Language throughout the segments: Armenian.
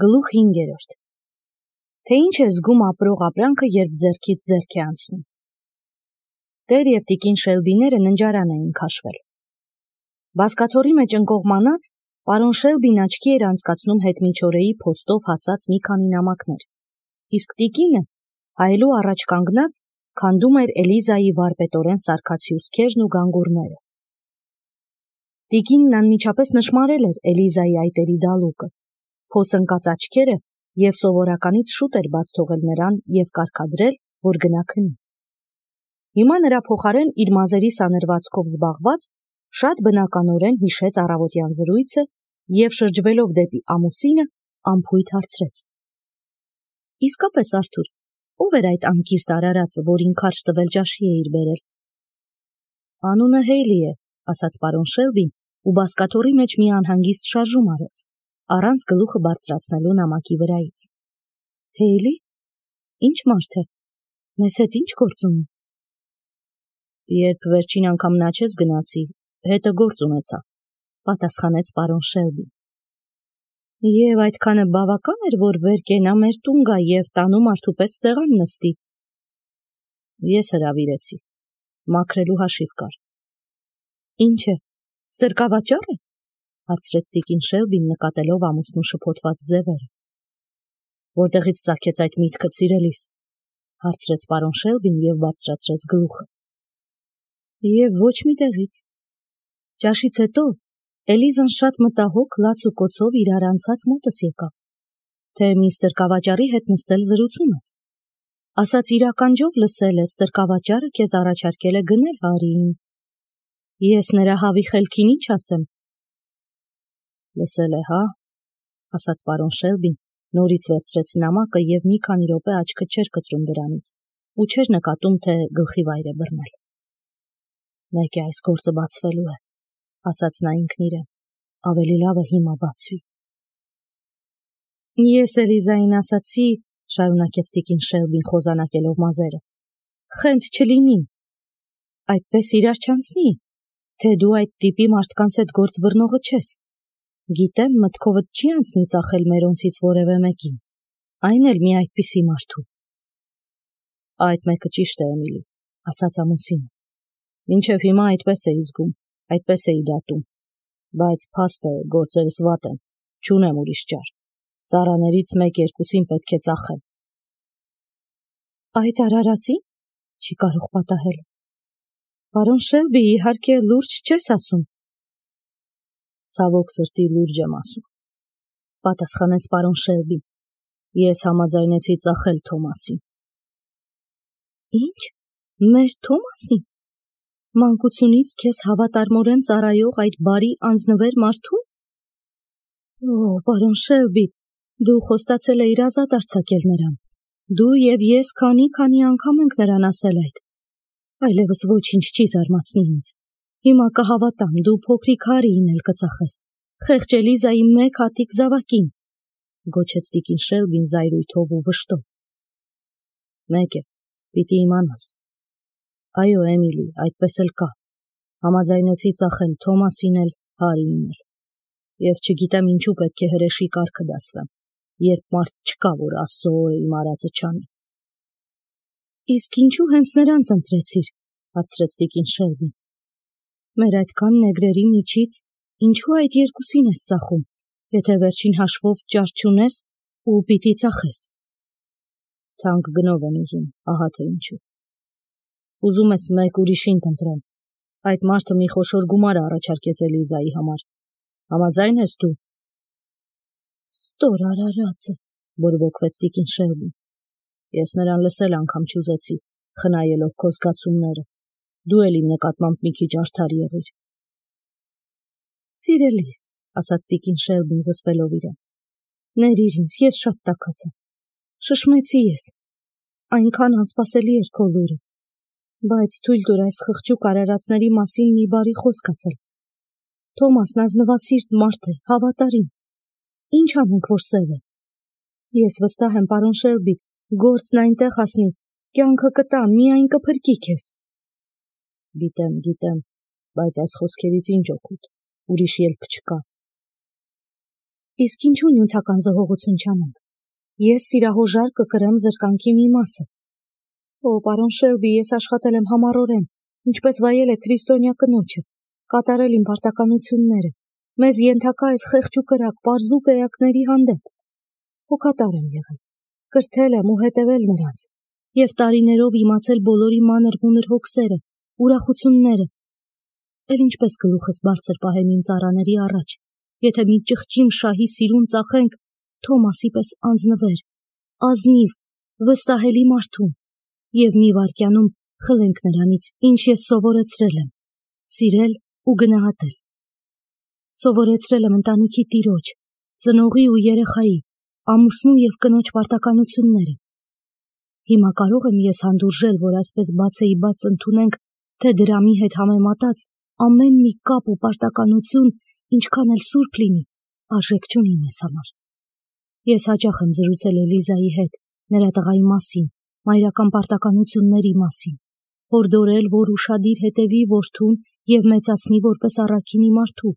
Գլուխ 5. Թե ինչ է զգում ապրող ապրանքը, երբ ձեռքից ձեռք է անցնում։ Տեր և տիկին Շելբիները ննջարան էին քաշվել։ Բազկաթոռի մեջ ընկողմանած, պարոն Շելբին աչքի էր անցկացնում հետմիջօրեի փոստով հասած մի քանի նամակներ, իսկ տիկինը, հայելու առաջ կանգնած, քանդում էր Էլիզայի վարպետորեն սարքած հյուսքերն ու գանգուրները։ Տիկինն անմիջապես նշմարել էր Էլիզայի այտերի դալուկը, փոս ընկած աչքերը և սովորականից շուտ էր բաց թողել նրան և կարգադրել, որ գնա քնի։ Հիմա նրա փոխարեն իր մազերի սանրվածքով զբաղված, շատ բնականորեն հիշեց առավոտյան զրույցը և շրջվելով դեպի ամուսինը, անփույթ հարցրեց. Իսկապես, Արթուր, ով էր այդ անկիրթ արարածը, որին քարշ տվել ճաշի էիր բերել։ Անունը Հեյլի է, ասաց պարոն Շելբին ու բազկաթոռի մեջ մի անհանգիստ շարժում արեց, առանց գլուխը բարձրացնելու նամակի վրայից։ Հեյլի? Ինչ մարդ է։ Մեզ հետ ինչ գործ ունի։ Երբ վերջին անգամ նա չես գնացի, հետը գործ ունեցա, պատասխանեց պարոն Շելբին։ Եվ այդքանը բավական էր, որ վեր կենա մեր տուն գա և տանում արդու պես սեղան նստի։ Ես հրավիրեցի, մաքրելու հաշիվ կար։ Ինչ է, ստրկավաճառ է, հարցրեց տիկին Շելբին նկատելով ամուսնու շփոթված ձևերը։ Որտեղից ծագեց այդ միտքը, սիրելիս, հարցրեց պարոն Շելբին և բարձրացրեց գլուխը։ Եվ ոչ մի տեղից։ Ճաշից հետո Էլիզան շատ մտահոգ լաց ու կոցով իրար անցած մոտս եկավ, թե մի ստրկավաճառի հետ նստել զրուցում ես։ Ասաց իր ականջով լսել է, ստրկավաճառը քեզ առաջարկել է գնել Հարիին։ Ես նրա հավի խելքին ինչ ասեմ։ Լսել է, հա, ասաց պարոն Շելբին, նորից վերցրեց նամակը և մի քանի րոպե աչքը չէր կտրում դրանից ու չէր նկատում, թե գլխի վայր է բռնել։ Մեկ է այս գործը բացվելու է, ասաց նա ինքն իրեն, ավելի լավ է հիմա բացվի։ Ես Էլիզային ասացի, շարունակեց տիկին Շելբին խոզանակելով մազերը, խենթ չլինի, այդպես իրար չանցնի, թե դու այդ տիպի մարդկանց հետ գործ բռնողը չես։ Գիտեմ, մտքովդ չի անցնի ծախել մերոնցից որևէ մեկին, այն էլ մի այդպիսի մարդու։ Այդ մեկը ճիշտ է, Էմիլի, ասաց ամուսինը։ Մինչև հիմա այդպես էի զգում, այդպես էի դատում, բայց փաստ է, գործերս վատ են, չունեմ ուրիշ ճար, ծառաներից մեկ-երկուսին պետք է ծախեմ։ Այդ արարածին չի կարող պատահել։ Պարոն Շելբի, իհարկե լուրջ չես ասում։ Ցավոք սրտի լուրջ եմ ասում, պատասխանեց պարոն Շելբին։ Ես համաձայնեցի ծախել Թոմասին։ Ինչ, մեր Թոմասին։ Մանկությունից քեզ հավատարմորեն ծառայող այդ բարի անձնվեր մարդուն։ Օ, պարոն Շելբի, դու խոստացել էիր ազատ արձակել նրան։ Դու և ես քանի անգամ ենք նրան ասել այդ։ Այլևս ոչինչ չի զարմացնի ինձ։ Հիմա կհավատամ, դու փոքրիկ Հարիին էլ կծախես, խեղճ Էլիզայի մեկ հատիկ զավակին, գոչեց տիկին Շելբին զայրույթով ու վշտով։ Մեկ է, պիտի իմանաս։ Այո, Էմիլի, այդպես էլ կա։ Համաձայնեցի ծախել Թոմասին էլ, Հարիին էլ։ Եվ չգիտեմ ինչու պետք է հրեշի կարգը դասվեմ, երբ մարդ չկա, որ Աստծո օրը իմ արածը չանի։ Իսկ ինչու հենց նրանց ընտրեցիր, հարցրեց տիկին Շելբին։ Մեր այդքան նեգրերի միջից ինչու այդ երկուսին ես ծախում, եթե վերջին հաշվով ճար չունես ու պիտի ծախես։ Թանկ գնով են ուզում, ահա թե ինչու։ Ուզում ես մեկ ուրիշին կընտրեմ։ Այդ մարդը մի խոշոր գումար առաջարկեց Էլիզայի համար։ Համաձայն ես դու։ Ստոր արարածը, բորբոքվեց տիկին Շելբին։ Ես նրան լսել անգամ չուզեցի, խնայելով քո զգացումները։ Դու էլ իմ նկատմամբ մի քիչ արդար եղիր։ Սիրելիս, ասաց տիկին Շելբին զսպելով իրեն։ Ներիր ինձ, ես շատ տաքացա։ Շշմեցի ես։ Այնքան անսպասելի էր քո լուրը։ Բայց թույլ տուր այս խղճուկ արարածների մասին մի բարի խոսք ասել։ Թոմասն ազնվասիրտ մարդ է, հավատարիմ։ Ինչ անենք, որ սև է։ Ես վստահ եմ, պարոն Շելբի, գործն այնտեղ հասնի, կյանքը կտա, միայն կփրկի քեզ։ Գիտեմ, բայց այս խոսքերից ինչ օգուտ, ուրիշ ելք չկա։ Իսկ ինչու նյութական զոհողություն չանենք։ Ես սիրահոժար կկրեմ զրկանքի մի մասը։ Պարոն Շելբի, ես աշխատել եմ համառորեն, ինչպես վայել է քրիստոնյա կնոջը, կատարել իմ պարտականությունները, մեզ ենթակա այս խեղճ ու կրակ պարզուկ էակների հանդեպ։ Հոգատար եմ եղել, կրթել եմ ու հետևել նրանց, և տարիներով իմացել բոլորի մանր-մունր հոգսերը, ուրախությունները։ Էլ ինչպես գլուխս բարձր պահեմ իմ ծառաների առաջ, եթե մի ճղճիմ շահի սիրուն ծախենք Թոմասի պես անձնվեր, ազնիվ, վստահելի մարդուն, և մի վայրկյանում խլենք նրանից, ինչ ես սովորեցրել եմ, սիրել ու գնահատել։ Սովորեցրել եմ ընտանիքի տիրոջ, ծնողի ու երեխայի, ամուսնու և կնոջ պարտականությունները։ Հիմա կարող եմ ես հանդուրժել, որ այսպես բացեի բաց ընդունենք, թե դրամի հետ համեմատած ամեն մի կապ ու պարտականություն, ինչքան էլ սուրբ լինի, արժեք չունի մեզ համար։ Ես հաճախ եմ զրուցել Էլիզայի հետ, նրա տղայի մասին, մայրական պարտականությունների մասին, հորդորել, որ ուշադիր հետևի որդուն և մեծացնի որպես առաքինի մարդու։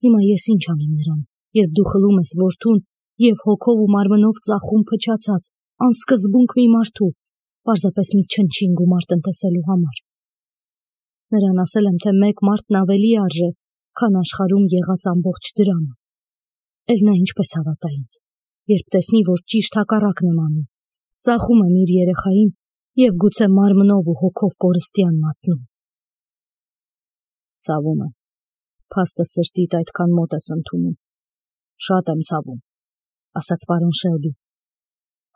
Հիմա ես ինչ անեմ նրան, երբ դու խլում ես որդուն և հոգով ու մարմնով ծախում փչացած, անսկզբունք մի մարդու, պարզապես մի չնչին գումար տնտեսելու համար։ Նրան ասել եմ, թե մեկ մարդն ավելի արժե, քան աշխարհում եղած ամբողջ դրամը։ Էլ նա ինչպես հավատա ինձ, երբ տեսնի, որ ճիշտ հակառակն եմ անում, ծախում եմ իր երեխային և գուցե մարմնով ու հոգով կորստյան մատնում։ Ցավում եմ, փաստը սրտիդ այդքան մոտ ես ընդունում։ Շատ եմ ցավում, ասաց պարոն Շելբին։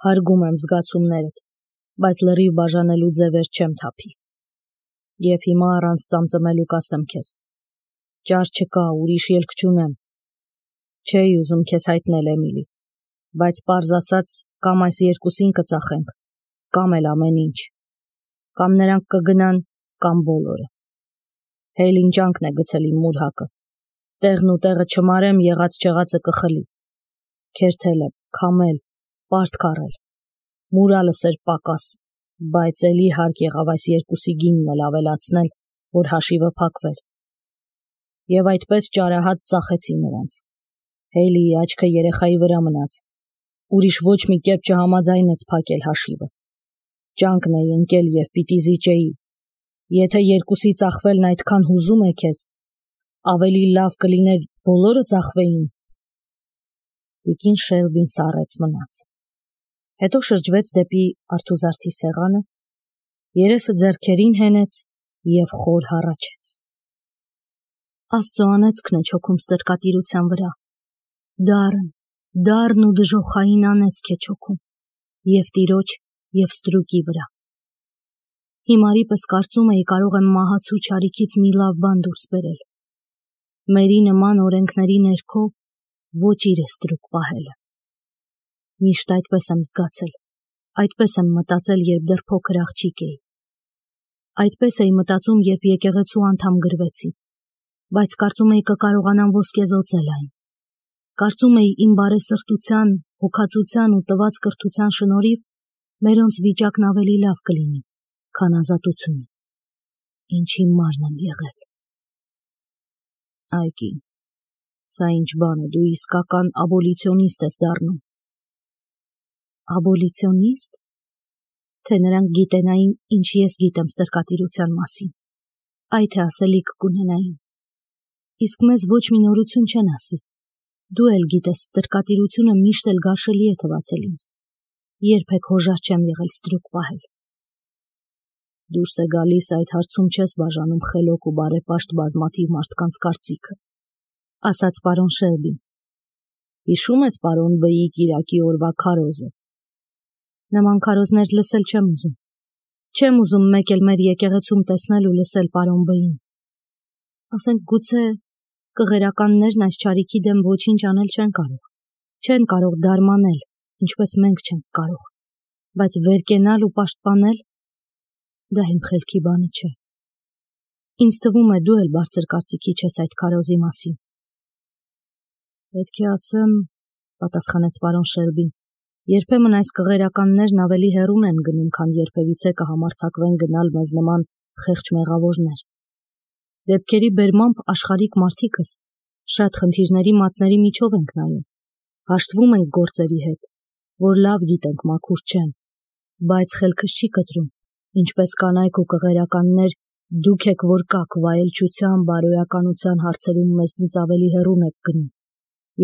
Հարգում եմ զգացումներդ, բայց լրիվ բաժանելու ձևեր չեմ թափի։ Եվ հիմա առանց ծամծմելու կասեմ քեզ. ճար չկա, ուրիշ ելք չունեմ։ Չէի ուզում քեզ հայտնել, Էմիլի, բայց պարզ ասած, կամ այս երկուսին կծախենք, կամ էլ ամեն ինչ։ Կամ նրանք կգնան, կամ բոլորը։ Հեյլին ջանքն է գցել իմ մուրհակը։ Տեղն ու տեղը չմարեմ, եղած-չեղածը կխլի։ Քերթել եմ, քամել, պարտ քառել։ Մուրալս էր պակաս, բայց էլի հարկ եղավ այս երկուսի գինն էլ ավելացնել, որ հաշիվը փակվեր։ Եվ այդպես ճարահատ ծախեցի նրանց։ Հեյլիի աչքը երեխայի վրա մնաց։ Ուրիշ ոչ մի կերպ չհամաձայնեց փակել հաշիվը։ Ջանքն էի ընկել և պիտի զիջեի։ Եթե երկուսի ծախվելն այդքան հուզում է քեզ, ավելի լավ կլիներ բոլորը ծախվեին։ Տիկին Շելբին սառեց մնաց։ Հետո շրջվեց դեպի արթուզարդի սեղանը, երեսը ձեռքերին հենեց և խոր հառաչեց։ Աստծո անեծքն է չոքում ստրկատիրության վրա։ Դառն ու դժոխային անեծք է չոքում և տիրոջ և ստրուկի վրա։ Հիմարի պես կարծում էի կարող եմ մահացու չարիքից մի լավ բան դուրս բերել։ Մերի նման օրենքների ներքո ոչ իր է ստրուկ պահելը։ Միշտ այդպես եմ զգացել, այդպես եմ մտածել, երբ դեռ փոքր աղջիկ էի։ Այդպես էի մտածում, երբ եկեղեցու անդամ գրվեցի, բայց կարծում էի կկարողանամ ոսկեզօծել այն։ Կարծում էի իմ բարեսրտության, հոգածության ու տված կրթության շնորհիվ մերոնց վիճակն ավելի լավ կլինի, քան ազատությունը։ Ինչ հիմարն եմ եղել։ Այ կին, սա ինչ բան է, դու իսկական աբոլիցիոնիստ ես դառնում։ Աբոլիցիոնիստ։ Թե նրանք գիտենային, ինչ ես գիտեմ ստրկատիրության մասին, այ թե ասելիք կունենային։ Իսկ մեզ ոչ մի նորություն չեն ասի։ Դու էլ գիտես, ստրկատիրությունը միշտ էլ գարշելի է թվացել ինձ։ Երբեք հոժար չեմ եղել ստրուկ պահել։ Դուրս է գալիս, այդ հարցում չես բաժանում խելոք ու բարեպաշտ բազմաթիվ մարդկանց կարծիքը, ասաց պարոն Շելբին։ Հիշում ես պարոն B-ի կիրակի օրվա քարոզը։ Նման քարոզներ լսել չեմ ուզում։ Չեմ ուզում մեկ էլ մեր եկեղեցում տեսնել ու լսել պարոն B-ին։ Ասենք գուցե կղերականներն այս չարիքի դեմ ոչինչ անել չեն կարող։ Չեն կարող դարմանել, ինչպես մենք չենք կարող, բայց վերկենալ ու պաշտպանել, դա իմ խելքի բանը չէ։ Ինձ թվում է դու էլ բարձր կարծիքի չես այդ քարոզի մասին։ Պետք է ասեմ, պատասխանեց պարոն Շելբին, երբեմն այս կղերականներն ավելի հեռուն են գնում, քան երբևիցե կհամարձակվեն գնալ մեզ նման խեղճ մեղավորներ։ Դեպքերի բերմամբ աշխարհիկ մարդիկս Շատ խնդիրների մատների միջով ենք նայում, հաշտվում ենք գործերի հետ, որ լավ գիտենք մաքուր չեն, բայց խելքս չի կտրում, ինչպես կանայք ու կղերականներ դուք եք, որ կաք վայելչության, բարոյականության հարցերում մեզնից ավելի հեռուն եք գնում,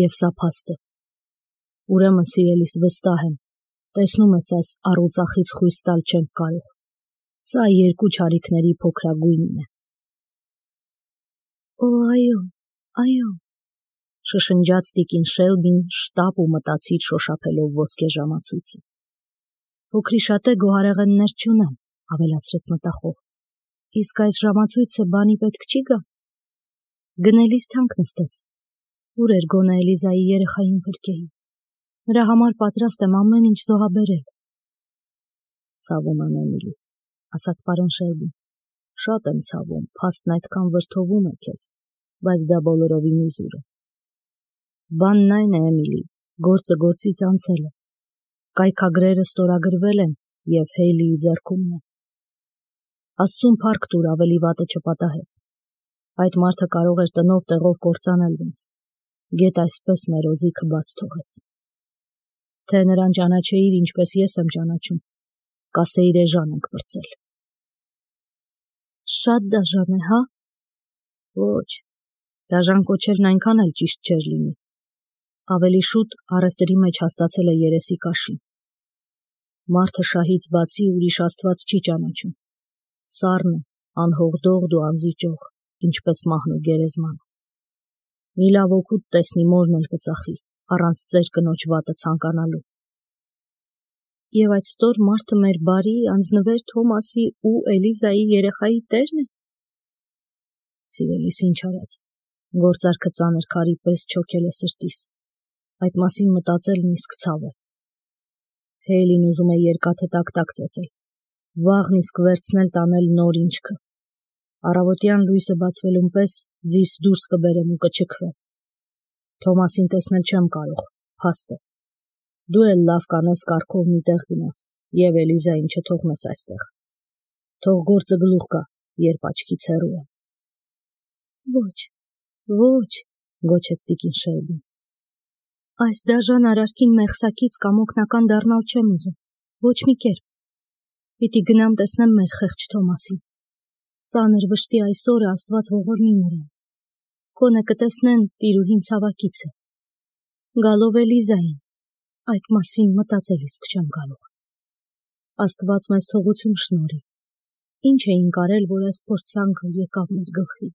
և սա փաստ է։ Ուրեմն, սիրելիս, վստահ եմ, տեսնում ես այս առուծախից խույս տալ չենք կարող, սա երկու չարիքների փոքրագույնն է։ Օ, այո, շշնջաց տիկին Շելբին շտապ ու մտածիր շոշափելով ոսկե ժամացույցը։ Փոքրիշատե գոհարեղեններ չունեմ, ավելացրեց մտախոհ, իսկ այս ժամացույցը բանի պետք չի գա։ Գնելիս թանկ նստեց, ուր էր գոնե Էլիզայի երեխային փրկեի, նրա համար պատրաստ եմ ամեն ինչ զոհաբերել։ Ցավում եմ, Էմիլի, ասաց պարոն Շելբին, շատ եմ ցավում, փաստն այդքան վրդովում է քեզ, բայց դա բոլորովին իզուր է։ Բանն այն է, Էմիլի, գործը գործից անցել է, կայքագրերը ստորագրվել են և Հեյլիի ձեռքումն է։ Աստծուն փառք տուր, ավելի վատը չպատահեց։ Այդ մարդը կարող էր տնով տեղով կործանել մեզ, գեթ այսպես մեր օձիքը բաց թողեց։ Թե նրան ճանաչեիր, ինչպես ես եմ ճանաչում, կասեիր էժան ենք պրծել։ Շատ դաժան է, հա։ Ոչ, դաժան կոչելն այնքան էլ ճիշտ չէր լինի։ Ավելի շուտ առևտրի մեջ հաստացել է երեսի կաշին։ Մարդը շահից բացի ուրիշ աստված չի ճանաչում։ Սառն է, անհողդողդ ու անզիջող, ինչպես մահն ու գերեզմանը։ Մի լավ օգուտ տեսնի մորն էլ կծախի, առանց ծեր կնոջ վատը ցանկանալու։ Եվ այդ ստոր մարդը մեր բարի, անձնվեր Թոմասի ու Էլիզայի երեխայի տերն է։ Սիրելիս, ինչ արած, գործարքը ծանր քարի պես չոքել է սրտիս, այդ մասին մտածելն իսկ ցավ է։ Հեյլին ուզում է երկաթը տակ-տակ ծեծել, վաղն իսկ վերցնել տանել նոր ինչքը։ Առավոտյան լույսը բացվելուն պես ձիս դուրս կբերեմ ու կչքվեմ։ Թոմասին տեսնել չեմ կարող, փաստ է։ Դու էլ լավ կանես կարգով մի տեղ գնաս և Էլիզային չթողնես այստեղ։ Թող գործը գլուխ գա, երբ աչքից հեռու է։ Ոչ, գոչեց տիկին Շելբին։ Այս դաժան արարքին մեղսակից կամ օգնական դառնալ չեմ ուզում, ոչ մի կերպ։ Պիտի գնամ տեսնեմ մեր խեղճ Թոմասին։ Ծանր վշտի այս օրը Աստված ողորմի նրան։ Գոնե կտեսնեն տիրուհին ցավակից է։ Գալով Էլիզային, այդ մասին մտածել իսկ չեմ կարող։ Աստված մեզ թողություն շնորհի։ Ինչ էինք արել, որ այս փորձանքը եկավ մեր գլխի։